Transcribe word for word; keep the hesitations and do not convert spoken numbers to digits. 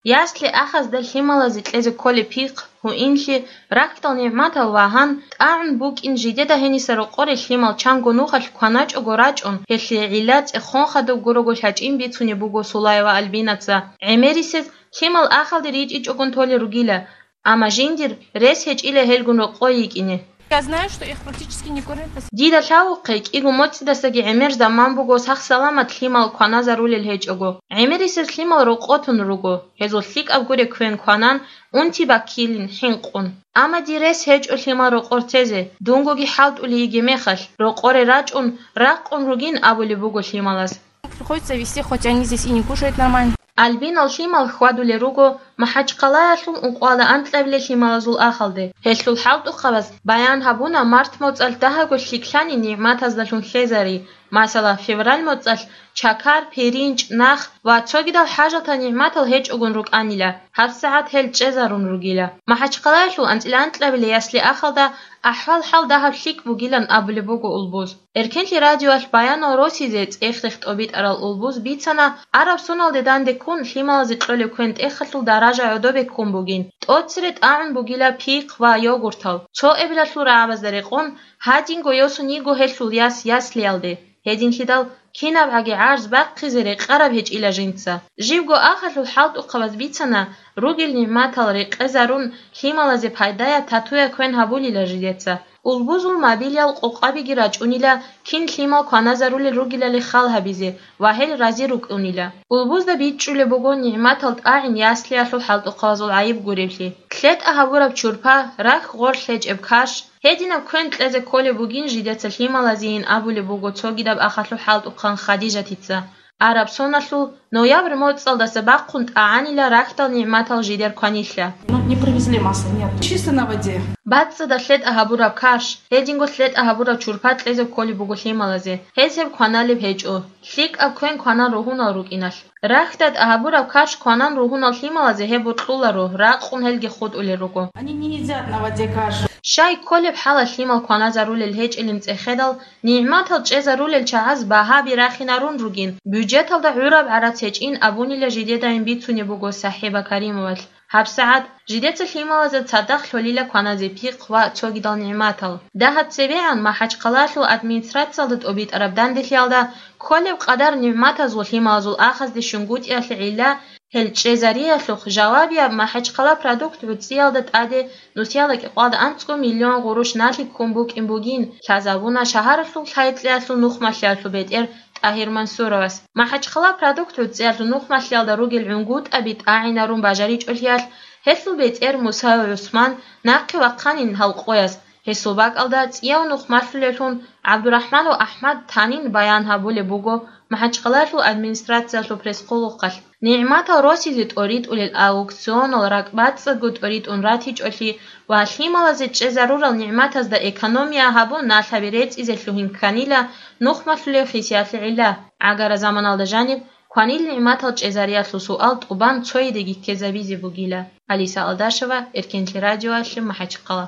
Ясли ахазда лъималазе кьезе кколеб пихъ, гьуинлъи, рахьдал нигӀматал вагьан, тӀагӀун букӀин жидеда гьениса рокъоре лъимал чанго нухалъ кваначӀого рачӀун, гьелъие гӀилла цӀехон хадуб гурого лъачӀин бицунеб буго Сулаева Альбинаца. ГӀемерисез лъимал ахалде ричӀичӀогун толел ругила, амма жиндир рес гьечӀила гьелгун рокъой йикӀине. Я знаю, что их практически не кормят. Дида лъавухъе, кӀиго моцӀидасаги гӀемер заман буго сах-саламат лъимал кваназарулел гьечӀого. ГӀемерисез лъимал рокъотун руго, гьезул лъикӀаб гуре квен кванан, унти баккилин хӀинкъун. Амма дир рес гьечӀо лъимал рокъор тезе, дунгоги хӀалтӀулей йиге мехалъ, рокъоре рачӀун, ракъун ругин абулеб буго лъималаз. Приходится везти, хоть они здесь и не кушают нормально. Альбинал лъимал хьвадулел руго МахӀачхъалаялъул ункъоялда анкьабилел лъималазул ахалде. Гьелъул хӀалтӀухъабаз баян гьабуна март моцӀалъ дагьабго лъикӀлъани нигӀматаздалъун лъезари, масала, февраль моцӀалъ чакар, пиринч, нах ва цогидал хӀажатал нигӀматал гьечӀогун рукӀанила, гьабсагӀат гьел чӀезарун ругила. МахӀачхъалаялъул анцӀила анкьабилей ясли ахалда ахӀвал-хӀал дагьаб лъикӀ бугилан абулеб буго Улбуз. Эркенлъи радиоялъ баянал росизе цӀех-рех тӀобитӀарал Улбуз бицана, араб соналде данде ккун лъималазе кьолеб квен-тӀехалъул даража гӀодобе ккун бугин, тӀоцере тӀагӀун бугила пихъ ва йогуртал, цо эбелалъул рагӀабазда рекъон, гьадинго йосун йиго гьелъул яс яслиялде, гьединлъидал кинабгӀаги гӀарз бахъизе рекъараб гьечӀила жинца. Живго ахалъул хӀалтӀухъабаз бицана, ругел нигӀматал рекъезарун, лъималазе пайдая татуя квен гьабулила жидеца. Улбузул мобилиял къокъабиги рачӀунила, кин лъимал кваназарулел ругилали хал гьабизе ва гьел рази рукӀунила. Улбузда бичӀчӀулеб буго нигӀматал тӀагӀин яслиялъул хӀалтӀухъабазул гӀайиб гуреблъи. ЛъетӀа гьабураб чурпа, рахь-гъор лъечӀеб каш, гьединаб квен кьезе кколеб бугин жидеца лъималазейин абулеб буго цогидаб ахалъул хӀалтӀухъан Хадижатица. Араб соналъул ноябрь моцӀалдаса бахъун тӀагӀанила рахьдал нигӀматал жидер кванилъа. Ну, не привезли масло, нет. Чисто на воде. БацӀцӀадаб лъетӀа гьабураб каш, гьединго лъетӀа гьабураб чурпа кьезе кколеб буго лъималазе, гьез гьеб кваналеб гьечӀо, лъикӀаб квен кванан ругьунал рукӀиналъ. Рахьдал тӀагӀабураб каш кванан ругьунал лъималазе гьеб бокьуларо, ракъун гьелги хутӀулел руго. Они не едят на воде кашу. Щай кколеб хӀалалъ лъимал кваназарулел гьечӀилин цӀехедал, нигӀматал чӀезарулел чагӀаз багьаби рахинарун ругин, бюджеталда гӀураб гӀарац гьечӀин абунила жидедайин бицунеб буго СахӀиба Каримовалъ. ГьабсагӀат жидеца лъималазда цадахъ лъолила кваназе пихъ ва цогидал нигӀматал. Дагьаб цебегӀан МахӀачхъалаялъул администрациялда тӀобитӀараб данделъиялда кколеб къадар нигӀматазул лъималазул ахазде щунгутӀиялъе гӀилла гьел чӀезариялъухъ жавабияб МахӀачхъала продукт гӀуцӀиялда тӀаде нусиялда кӀикъоялда анцӀго миллион гъурущ налъи ккун букӀин бугин, лъазабуна шагьаралъул лъай-кьеялъул нухмалъиялъул бетӀер ТӀагьир Мансуровас. МахӀачхъала продукт гӀуцӀиялъул нухмалъиялда ругел гӀунгутӀаби тӀагӀинарун бажаричӀолъиялъ, гьелъул бетӀер Мусаев ГӀусман нахъе вахъанин гьал къояс, гьесул бакӀалда цӀияв нухмалъулевлъун ГӀабдурахӀманов АхӀмад танин баян гьабулеб буго МахӀачхъалаялъул администрациялъул пресс-хъулухъалъ. НигӀматал росизе тӀоритӀулел аукционал ракӀбацӀцӀадго тӀоритӀун ратичӀолъи ва лъималазе чӀезарурал нигӀматазда экономия гьабун налъаби рецӀизе лъугьин кканила нухмалъулев хисиялъе гӀилла. ГӀагара заманалда жаниб кванил нигӀматал чӀезариялъул суал тӀубан цойидеги ккезабизе бугила. Алиса Алдашева, Эркенлъи радиоялъе, МахӀачхъала.